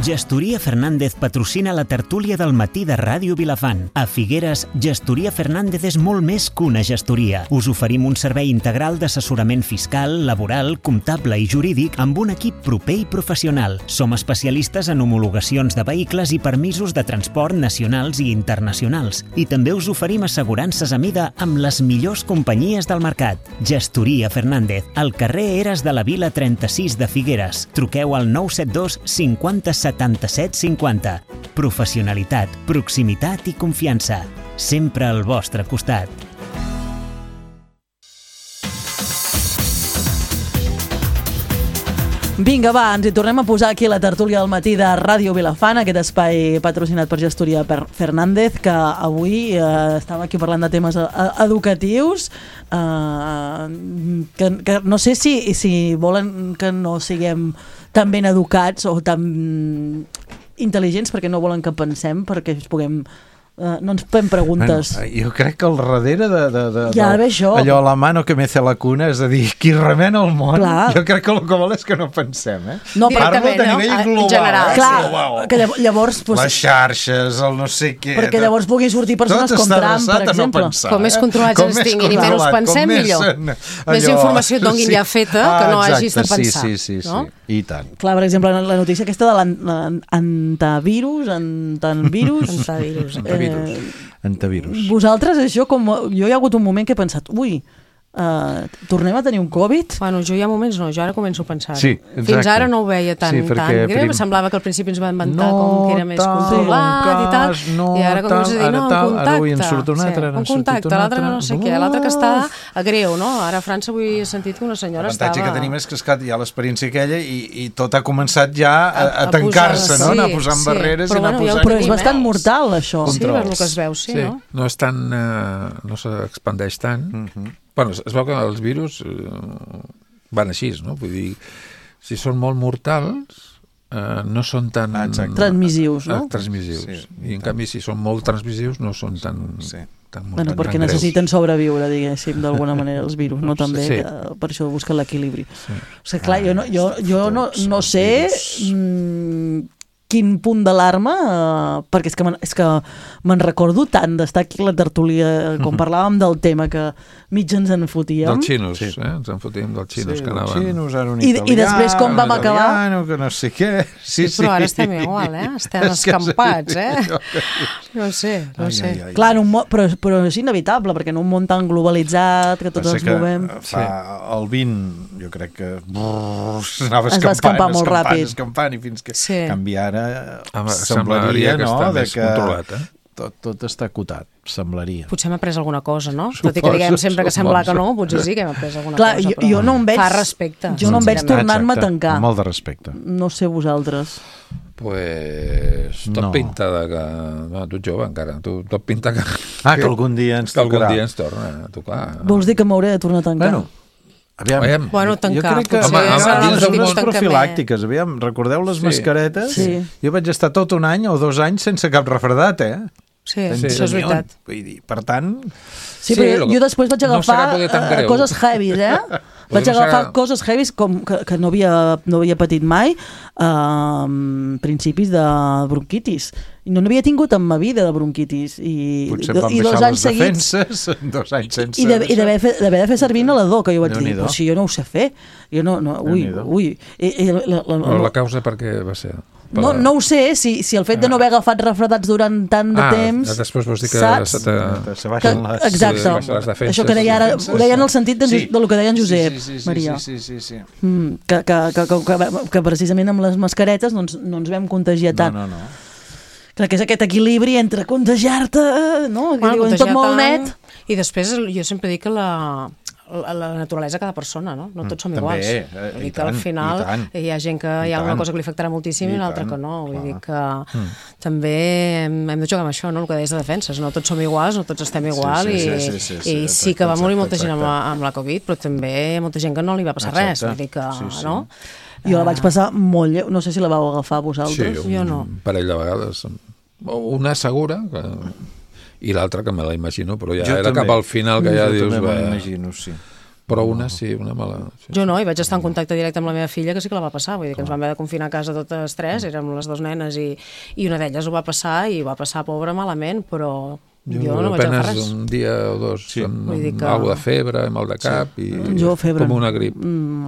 Gestoria Fernández patrocina la tertúlia del matí de Ràdio Vilafant. A Figueres, Gestoria Fernández és molt més que una gestoria. Us oferim un servei integral d'assessorament fiscal, laboral, comptable i jurídic amb un equip proper i professional. Som especialistes en homologacions de vehicles i permisos de transport nacionals i internacionals. I també us oferim assegurances a mida amb les millors companyies del mercat. Gestoria Fernández, al carrer Eres de la Vila 36 de Figueres. Truqueu al 972 50 77 50. Professionalitat, proximitat i confiança. Sempre al vostre costat. Vinga, va, ens hi tornem a posar aquí a la tertúlia del matí de Ràdio Vilafant, aquest espai patrocinat per Gestoria Fernández, que avui estàvem aquí parlant de temes educatius, que no sé si volen que no siguem tan ben educats o tan intel·ligents perquè no volen que pensem, perquè ens puguem... no ens fem preguntes. Bueno, jo crec que al darrere ja, allò la mano que mece la cuna, és a dir, qui remena el món, clar. Jo crec que el que vol és que no pensem, No, parlo de nivell global. General. Clar, que llavors... Les xarxes, el no sé què... Perquè llavors puguin sortir persones com Trump, per exemple. Com més controlats ens tinguin i menys pensem, millor. Més informació et donin ja feta que no hagis de pensar. Sí, i tant. Clar, per exemple, la notícia aquesta de l'antavirus, Antavirus. Vosaltres, això, jo hi ha hagut un moment que he pensat, tornem a tenir un Covid? Bueno, jo hi ha moments no, jo ara començo a pensar. Sí, exacte. Fins ara no ho veia tan greu, semblava que al principi ens va inventar com que era més controlat i tal, i ara començo a dir, no, un contacte, l'altre no sé què, l'altre que està a greu, no? Ara a França avui he sentit que una senyora estava... L'avantatge que tenim és que hi ha l'experiència aquella i tot ha començat ja a tancar-se, no? Anar posant barreres i anar posant... Però és bastant mortal, això. Sí, per el que es veu, sí, no? No és tan... no s'expandeix tant. Bueno, es veu que els virus van així, no? Vull dir, si són molt mortals, no són tan... transmissius, no? Transmissius. I en canvi, si són molt transmissius, no són tan... Bueno, perquè necessiten sobreviure, diguéssim, d'alguna manera, els virus, no? També, per això busquen l'equilibri. O sigui, clar, jo no sé... quin punt d'alarma, perquè és que me'n recordo tant d'estar aquí a la tertúlia, com parlàvem del tema, que mig ens en fotíem. Dels xinos, ens en fotíem dels xinos que anaven. Xinos, ara un italià, I després com vam acabar... que no sé què... Sí, però ara estem igual, estem escampats, No sé. Clar, però és inevitable, perquè en un món tan globalitzat, que tots ens movem... El 20, jo crec que s'anava escampant i fins que canviar semblaria, que està més controlat, tot està acotat, semblaria. Potser hem après alguna cosa, no? Tot i que diguem sempre que sembla que no, potser sí que hem après alguna cosa. Clar, jo no em veig... Fa respecte. Jo no em veig tornant-me a tancar. Molt de respecte. No sé vosaltres. Pues tot pinta de que... No, tu ets jove encara, tot pinta que... Que algun dia ens tocarà. Que algun dia ens torna a tocar. Vols dir que m'hauré de tornar a tancar? Aviam. Bueno, tancar. Jo crec que dins de les profilàctiques, recordeu les mascaretes? Jo vaig estar tot un any o 2 anys sense cap refredat, Sí, això és veritat. Per tant... Sí, però jo després vaig agafar coses heavies, Vaig agafar coses heavies que no havia patit mai, principis de bronquitis. I no n'havia tingut en ma vida de bronquitis. Potser vam deixar les defenses 2 anys sense... I d'haver de fer servir inhalador, que jo vaig dir, però si jo no ho sé fer. Jo no, ui. La causa per què va ser? No ho sé, si el fet de no haver agafat refredats durant tant de temps... Després vols dir que se baixen les... Exacte. Això que deia ara, ho deia en el sentit del que deia en Josep, Maria. Sí. Que precisament amb les mascaretes no ens vam contagiar tant. No. Clar, que és aquest equilibri entre contagiar-te, no? Tot molt net. I després jo sempre dic que la naturalesa de cada persona, no? No tots som iguals. Vull dir que al final hi ha gent que hi ha una cosa que li afectarà moltíssim i l'altra que no. Vull dir que també hem de jugar amb això, no? El que deies de defenses. No tots som iguals, no tots estem igual i sí que va morir molta gent amb la Covid, però també hi ha molta gent que no li va passar res. Vull dir que, no? Jo la vaig passar molt lleu. No sé si la vau agafar vosaltres. Sí, jo no. Un parell de vegades. Una segura, i l'altra que me la imagino, però ja era cap al final que ja dius... Jo també me la imagino, sí. Però una sí, una mala... Jo no, i vaig estar en contacte directe amb la meva filla, que sí que la va passar. Vull dir que ens vam haver de confinar a casa totes 3, érem les 2 nenes, i una d'elles ho va passar, i va passar, pobra, malament, però... Jo no vaig agafar res. Un dia o 2 amb alguna de febre, mal de cap i com una grip.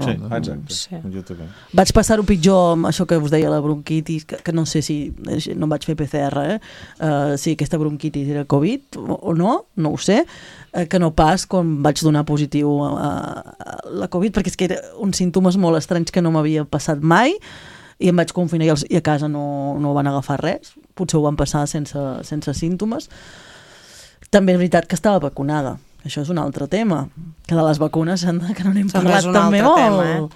Sí, exacte. Jo també. Vaig passar-ho pitjor amb això que us deia, la bronquitis, que no sé si... No em vaig fer PCR, si aquesta bronquitis era Covid o no ho sé, que no pas quan vaig donar positiu a la Covid, perquè és que eren uns símptomes molt estranys que no m'havia passat mai, i em vaig confinar i a casa no van agafar res. Potser ho van passar sense símptomes. També és veritat que estava vacunada. Això és un altre tema. Que de les vacunes, que no n'hem parlat també molt.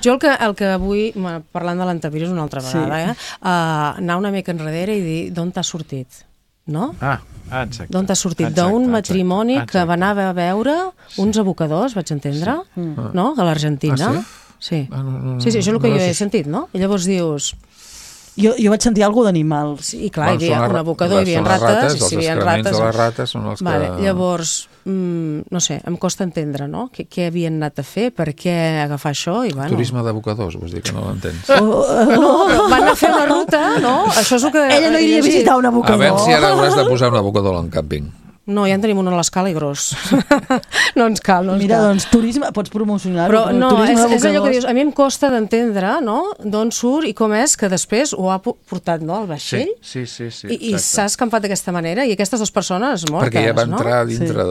Jo el que vull, parlant de l'antivirus una altra vegada, anar una mica enrere i dir d'on t'ha sortit, no? Exacte. D'on t'ha sortit? D'un matrimoni que va anar a veure uns abocadors, vaig entendre, no? A l'Argentina. Sí, això és el que jo he sentit, no? I llavors dius... Jo vaig sentir alguna d'animals. I clar, hi havia un abocador, hi havia rates, els excrements de les rates són els que... Llavors, no sé, em costa entendre, no? Què havien anat a fer, per què agafar això? Turisme d'abocadors, vols dir que no l'entens? No, van anar a fer una ruta, no? Això és el que... Ella no iria a visitar un abocador. A veure si ara hauràs de posar un abocador en càmping. No, ja en tenim un a l'escala i gros. No ens cal, Mira, doncs, turisme, pots promocionar-ho. Però no, és allò que dius, a mi em costa d'entendre, no?, d'on surt i com és que després ho ha portat, no?, al vaixell. Sí. I s'ha escampat d'aquesta manera, i aquestes 2 persones mortes, no? Perquè ja va entrar dintre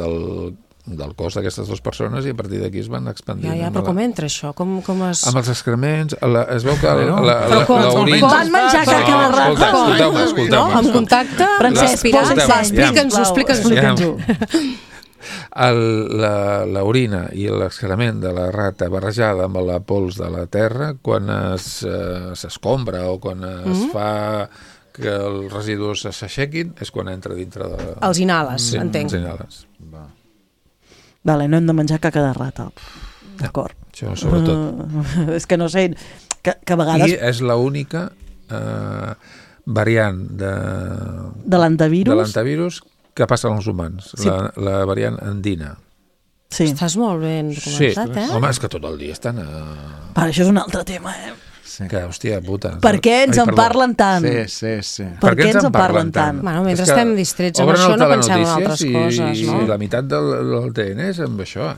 del cos d'aquestes dues persones i a partir d'aquí es van expandint. Però com entra això? Com es... Amb els excrements, es veu que l'orina... Van menjar caca de rata. Escolteu-me. Amb contacte, respirar, explica'ns-ho. L'orina i l'excrement de la rata barrejada amb la pols de la terra, quan s'escombra o quan es fa que els residus s'aixequin, és quan entra dintre de... Els inhales, entenc. Els inhales. Vale, no hem de menjar caca de rata. D'acord. Això, sobretot. És que no sé, que a vegades... I és l'única variant de l'antivirus que passa als humans, la variant andina. Sí. Estàs molt ben documentat, Sí, home, és que tot el dia estan això és un altre tema, Que, hòstia, puta. Per què ens en parlen tant? Sí. Per què ens en parlen tant? Bueno, mentre estem distrets amb això no pensem en altres coses, no? I la meitat del TN és amb això,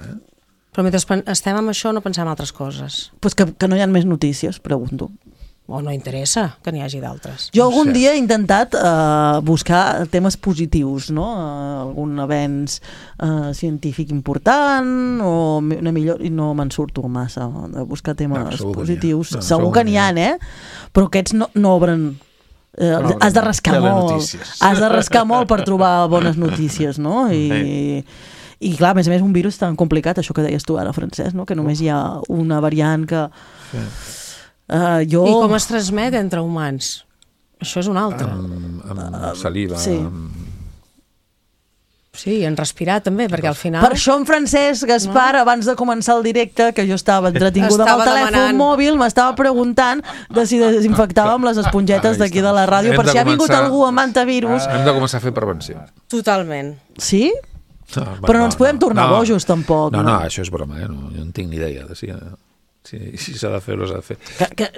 Però mentre estem amb això no pensem en altres coses. Pues que no hi ha més notícies, pregunto. O no interessa que n'hi hagi d'altres. Jo algun dia he intentat buscar temes positius, no? Algun avenç científic important o una millor... I no me'n surto massa de buscar temes positius. Segur que n'hi ha, Però aquests no obren... Has de rascar molt. Has de rascar molt per trobar bones notícies, no? I clar, a més un virus tan complicat, això que deies tu ara, Francesc, no? Que només hi ha una variant que... I com es transmet entre humans? Això és un altre. Amb saliva. Sí, en respirar també, perquè al final... Per això en Francesc Gaspar, abans de començar el directe, que jo estava entretinguda amb el telèfon mòbil, m'estava preguntant de si desinfectàvem les espongetes d'aquí de la ràdio, per si ha vingut algú amb antivirus. Hem de començar a fer prevenció. Totalment. Sí? Però no ens podem tornar bojos, tampoc. No, això és broma, jo no en tinc ni idea de si s'ha de fer o s'ha de fer.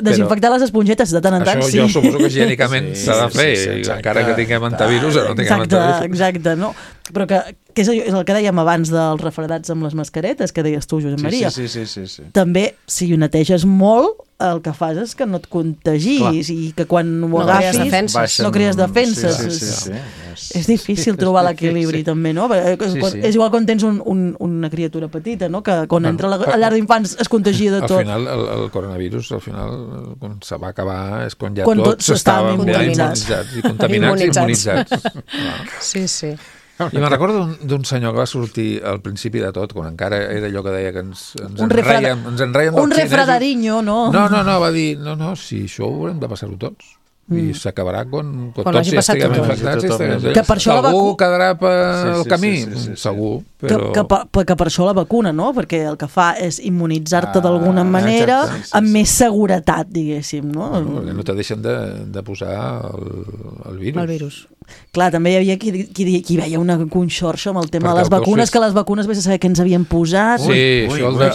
Desinfectar les espongetes de tant en tant, sí. Això jo suposo que higiènicament s'ha de fer, encara que tinguem antivirus o no tinguem antivirus. Exacte, no? Però que és el que dèiem abans dels refredats amb les mascaretes, que deies tu, Josep Maria. Sí. També, si ho neteges molt, el que fas és que no et contagis i que quan ho agafis no crees defenses. És difícil trobar l'equilibri també, no? És igual quan tens una criatura petita, no? Que quan entra a la llar d'infants es contagia de tot. Al final, el coronavirus, quan se va acabar, és quan ja tots estaven immunitzats i contaminats i immunitzats. Sí. I me'n recordo d'un senyor que va sortir al principi de tot, quan encara era allò que deia que ens enreiem dels xinesos. Un refredariño, no? No, va dir, si això ho haurem de passar-ho tots. I s'acabarà quan tots ja estiguem infectats. Algú quedarà pel camí, segur. Que per això la vacuna, no? Perquè el que fa és immunitzar-te d'alguna manera amb més seguretat, diguéssim, no? Perquè no te deixen de posar el virus. El virus. Clar, també hi havia qui veia una conxorxa amb el tema de les vacunes, que les vacunes vés a saber què ens havien posat. Sí, això el de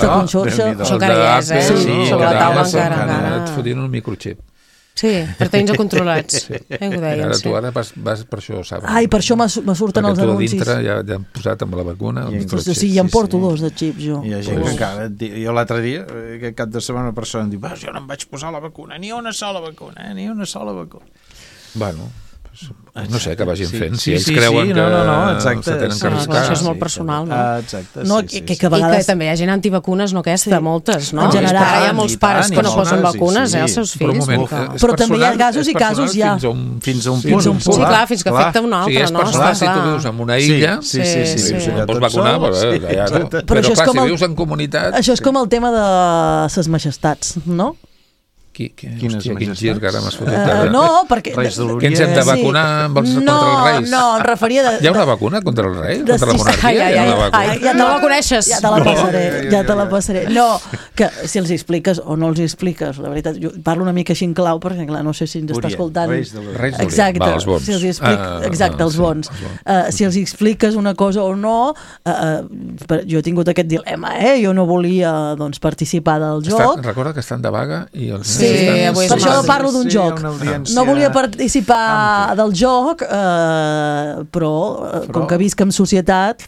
conxorxa. Això encara hi és, sobre la taula encara. Et fotien un microxip. Sí, per tenir-nos controlats. Ara tu ara vas per això, saps? Ai, per això me surten els anuncis. Perquè tu a dintre ja han posat amb la vacuna el microxip. Sí, ja em porto 2 de xips, jo. Hi ha gent que encara... Jo l'altre dia, aquest cap de setmana, una persona em diu, jo no em vaig posar la vacuna, ni una sola vacuna, ni una sola vacuna. Bueno... No sé, que vagin fent. Si ells creuen que se tenen que arriscar. Això és molt personal, no? Exacte, I que també hi ha gent antivacunes, no aquesta, moltes, no? En general. Ara hi ha molts pares que no posen vacunes, als seus fills. Però també hi ha casos i casos, ja. Fins a un punt. Sí, clar, fins que afecta un altre, no? Si és personal, si tu vius en una illa, si no pots vacunar, però clar, si vius en comunitat... Això és com el tema de ses majestats, no? Quin gir que ara m'has fotut. No, perquè... Que ens hem de vacunar contra els reis? No, em referia... Hi ha una vacuna contra el rei? Contra la monarquia? Ja no la coneixes. Ja te la passaré. No, que si els expliques o no els expliques, la veritat, jo parlo una mica així en clau, perquè clar, no sé si ens està escoltant... Exacte, els bons. Si els expliques una cosa o no, jo he tingut aquest dilema, jo no volia participar del joc. Recorda que estan de vaga i els... Sí, per això parlo d'un joc. No volia participar del joc, però com que visc en societat,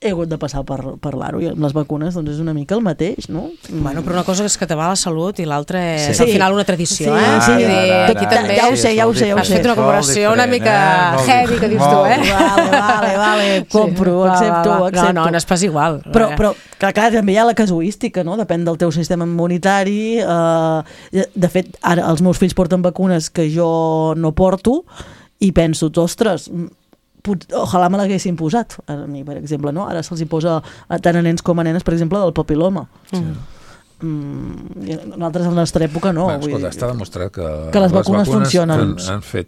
he hagut de passar per l'aro, i amb les vacunes doncs és una mica el mateix, no? Bueno, però una cosa és que te va la salut i l'altra és al final una tradició, Sí, aquí també ja ho sé. Has fet una comparació una mica heavy, que dius tu, Vale, compro, accepto. No és pas igual. Però clar, també hi ha la casuística, no? Depèn del teu sistema immunitari. De fet, ara els meus fills porten vacunes que jo no porto i penso, ostres, ojalà me l'haguessin posat a mi, per exemple, no? Ara se'ls hi posa tant a nens com a nenes, per exemple, del papiloma. Nosaltres a la nostra època no. Escolta, està demostrat que les vacunes funcionen. Han fet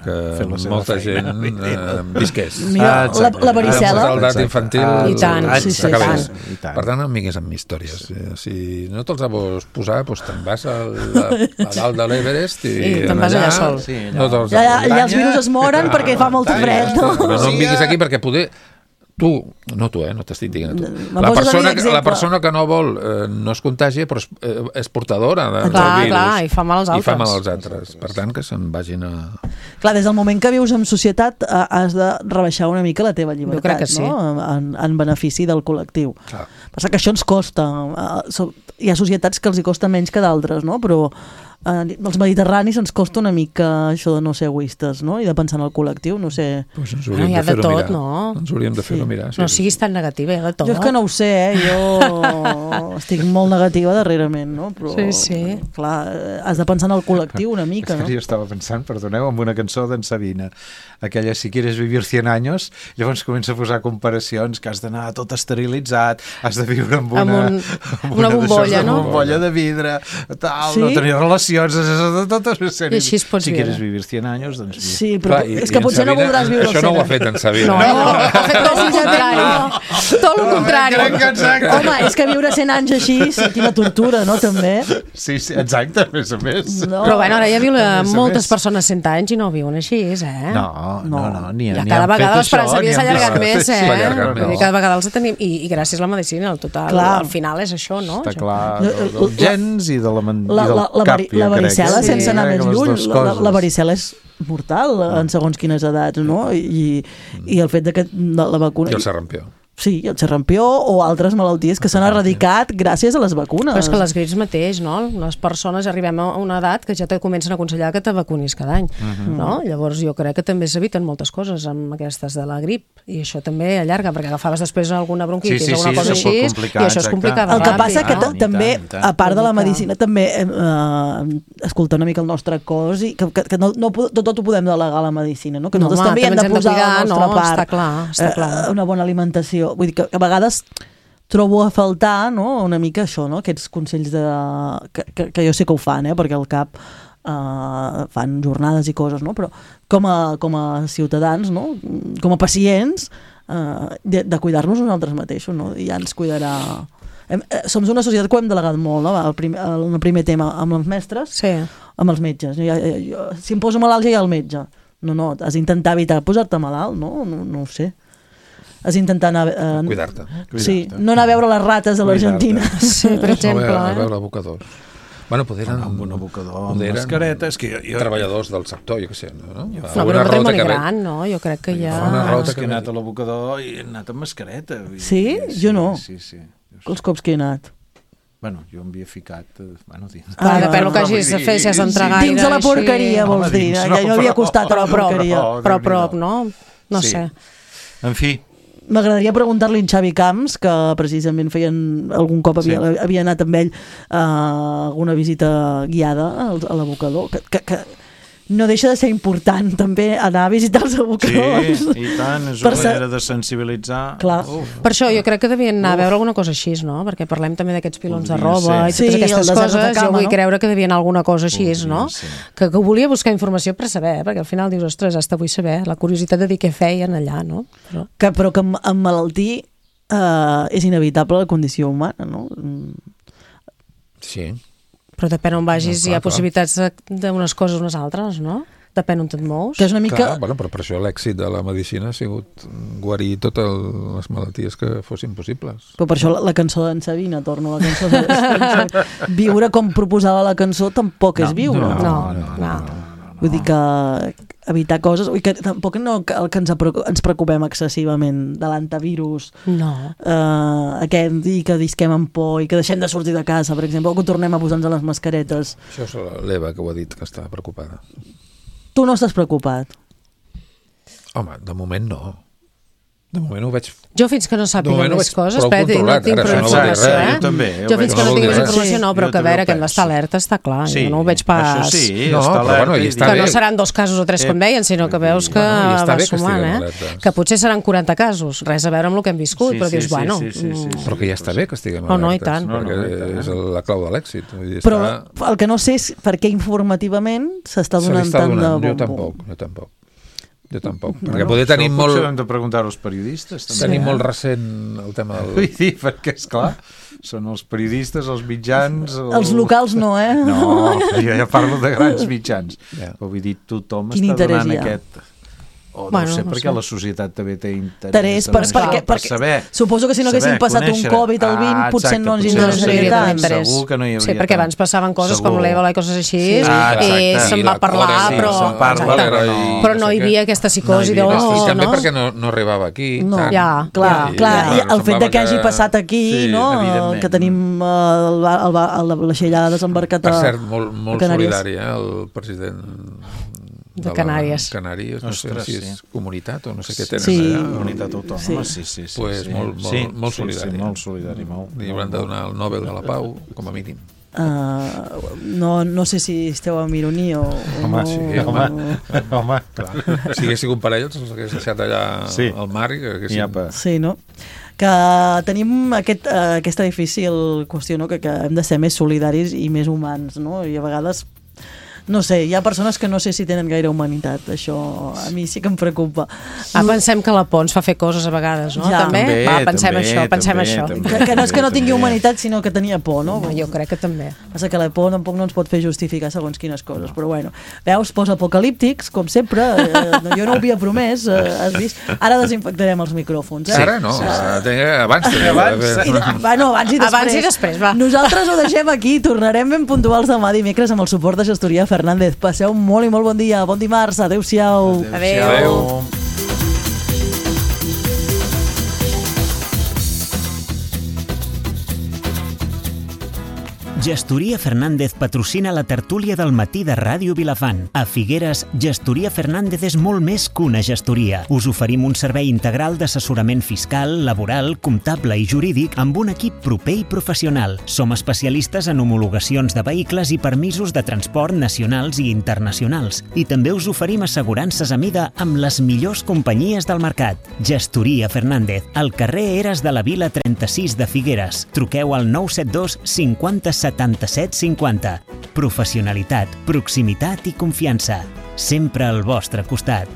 que molta gent visqués. La varicel·la. La mortalitat infantil i tant. Per tant, no em vinguis amb històries. Si no te'ls vols posar, doncs te'n vas a dalt de l'Everest i te'n vas allà sol. Allà els virus es moren perquè fa molt fred. No em vinguis aquí perquè poder... No t'estic dient a tu. La persona que no vol no es contagia, però és portadora del virus. Clar, i fa mal als altres. Per tant, que se'n vagin a... Clar, des del moment que vius en societat has de rebaixar una mica la teva llibertat, jo crec que sí. En benefici del col·lectiu. Passa que això ens costa. Hi ha societats que els hi costa menys que d'altres, no? Però els mediterranis ens costa una mica això de no ser egoistes, no? I de pensar en el col·lectiu, no sé... Ens hauríem de fer-ho mirar. Ens hauríem de fer-ho mirar. No siguis tan negativa, hi ha de tot. Jo és que no ho sé, jo estic molt negativa darrerament, no? Però, clar, has de pensar en el col·lectiu una mica, no? Jo estava pensant, perdoneu, en una cançó d'en Sabina, aquella Si quieres vivir 100 años, llavors comença a posar comparacions, que has d'anar tot esterilitzat, has de viure amb una bombolla, no? Una bombolla de vidre, tal, no tenir relacions, tot una sèrie. I així es pots viure. Si quieres vivir 100 años, doncs viure. Sí, però és que potser no voldràs viure això no ho ha fet en Sabina. No, ha fet tot el contrari. Tot el contrari. Home, és que viure 100 anys així, quina tortura, no, també? Sí, exacte, a més a més. Però bueno, ara ja viuen moltes persones 100 anys i no viuen així, No, ni han fet això. Cada vegada l'esperança de vida s'ha allargat més, cada vegada els tenim, i gràcies a la medicina, al total, al final és això, no? Està clar, dels gens i del cap, la varicel·la, sense anar més lluny, la varicel·la és mortal en segons quines edats, no? I el fet que la vacuna... I el sarampió. Sí, el xerrampió o altres malalties que s'han erradicat gràcies a les vacunes. Però és que les grips mateix, no? Les persones arribem a una edat que ja te comencen a aconsellar que te vacunis cada any, no? Llavors jo crec que també s'eviten moltes coses amb aquestes de la grip, i això també allarga, perquè agafaves després alguna bronquitis o alguna cosa així, i això es complicava ràpid. El que passa que també, a part de la medicina, també escoltar una mica el nostre cos, i que no tot ho podem delegar a la medicina, no? Que nosaltres també hem de posar la nostra part. Està clar. Una bona alimentació. Vull dir que a vegades trobo a faltar, no? Una mica això, no? Aquests consells que jo sé que ho fan, perquè al CAP fan jornades i coses, no? Però com a ciutadans, no? Com a pacients, de cuidar-nos nosaltres mateixos, no? I ja ens cuidarà... Som una societat que ho hem delegat molt, no? El primer tema amb els mestres, amb els metges. Si em poso malalt ja hi ha el metge. No, has d'intentar evitar posar-te malalt, no? No ho sé. Has d'intentar anar... Cuidar-te. Sí, no anar a veure les rates a l'Argentina. Sí, per exemple. A veure abocadors. Bueno, eren un abocador, amb mascareta, és que treballadors del sector, jo què sé, no? No, però un matrimoni gran, no? Jo crec que ja... Una rota que he anat a l'abocador i he anat amb mascareta. Sí? Jo no. Sí. Els cops que he anat. Bueno, jo m'havia ficat... dins. Depèn del que hagis de fer, si has d'entrar gaire. Dins de la porqueria, vols dir. Ja no havia costat a la porqueria. Però a prop, no? No sé. En fi. M'agradaria preguntar-li a Xavi Camps, que precisament algun cop havia anat amb ell a alguna visita guiada a l'abocador, que no deixa de ser important també anar a visitar els abocadors. Sí, i tant, és una manera de sensibilitzar. Clar. Per això jo crec que devien anar a veure alguna cosa així, no? Perquè parlem també d'aquests pilons de roba i totes aquestes coses. Jo vull creure que devien alguna cosa així, no? Que volia buscar informació per saber, perquè al final dius, ostres, hasta vull saber, la curiositat de dir què feien allà, no? Però que amb malaltir és inevitable la condició humana, no? Sí. Però depèn on vagis, hi ha possibilitats d'unes coses unes altres, no? Depèn on te't mous. Que és una mica... Clar, bueno, però per això l'èxit de la medicina ha sigut guarir totes les malalties que fossin possibles. Però per això la cançó d'en Sabina, torno a la cançó de... Viure com proposava la cançó tampoc és viure. No. Vull dir que evitar coses, i que tampoc no el que ens preocupem excessivament de l'antivirus, i que disquem amb por i que deixem de sortir de casa, per exemple, o que tornem a posar-nos les mascaretes. Això és l'Eva que ho ha dit, que està preocupada. Tu no estàs preocupat? Home, de moment no. De moment ho veig... Jo fins que no sàpiga més coses, no tinc informació, Jo també. Jo fins que no tinc més informació, no, però que a veure, que hem d'estar alerta està clar, jo no ho veig pas... Que no seran 2 casos o 3 com deien, sinó que veus que va sumant, que potser seran 40 casos, res a veure amb el que hem viscut, però dius, bueno... Però que ja està bé que estiguem alertes. No, i tant. Perquè és la clau de l'èxit. Però el que no sé és per què informativament s'està donant tant de bombo. Jo tampoc, perquè poder tenir molt... Potser hem de preguntar als periodistes. Tenim molt recent el tema del... Vull dir, perquè, esclar, són els periodistes, els mitjans... Els locals no, No, jo ja parlo de grans mitjans. Vull dir, tothom està donant aquest... O no sé, perquè la societat també té interès per saber. Suposo que si no haguessin passat un Covid al 20 potser no ens interessaria tant. Segur que no hi hauria tant. Sí, perquè abans passaven coses com l'Ebola i coses així, i se'n va parlar, però no hi havia aquesta psicosi de... I també perquè no arribava aquí. Clar, i el fet que hagi passat aquí, que tenim la xellada desembarcat a Canàries. Per cert, molt solidari, el president... de Canàries. No sé si és comunitat o no sé què tenen allà. Comunitat autònoma, sí. Pues molt solidari. Molt solidari, molt. Li hauran de donar el Nobel de la Pau, com a mínim. No sé si esteu amb ironia o... Home, clar. Si hagués sigut per ells, els hagués deixat allà al mar i que haguessin... Sí, no? Que tenim aquesta difícil qüestió, no? Que hem de ser més solidaris i més humans, no? I a vegades... No sé, hi ha persones que no sé si tenen gaire humanitat. Això a mi sí que em preocupa. Pensem que la Pons fa fer coses a vegades, no? També? Pensem això. Que no és que no tingui humanitat, sinó que tenia por, no? Jo crec que també. Passa que la por tampoc no ens pot fer justificar segons quines coses, però bueno. Veus, post-apocalíptics, com sempre, jo no ho havia promès, has vist? Ara desinfectarem els micròfons. Ara no, abans i després. Nosaltres ho deixem aquí, tornarem ben puntuals demà dimecres amb el suport de Gestoria Fernández. Passeu molt i molt bon dia, bon dimarts, adeu-siau. Adeu. Gestoria Fernández patrocina la tertúlia del matí de Ràdio Vilafant. A Figueres, Gestoria Fernández és molt més que una gestoria. Us oferim un servei integral d'assessorament fiscal, laboral, comptable i jurídic amb un equip proper i professional. Som especialistes en homologacions de vehicles i permisos de transport nacionals i internacionals. I també us oferim assegurances a mida amb les millors companyies del mercat. Gestoria Fernández, al carrer Eres de la Vila 36 de Figueres. Truqueu al 972 50 77 50. Professionalitat, proximitat i confiança. Sempre al vostre costat.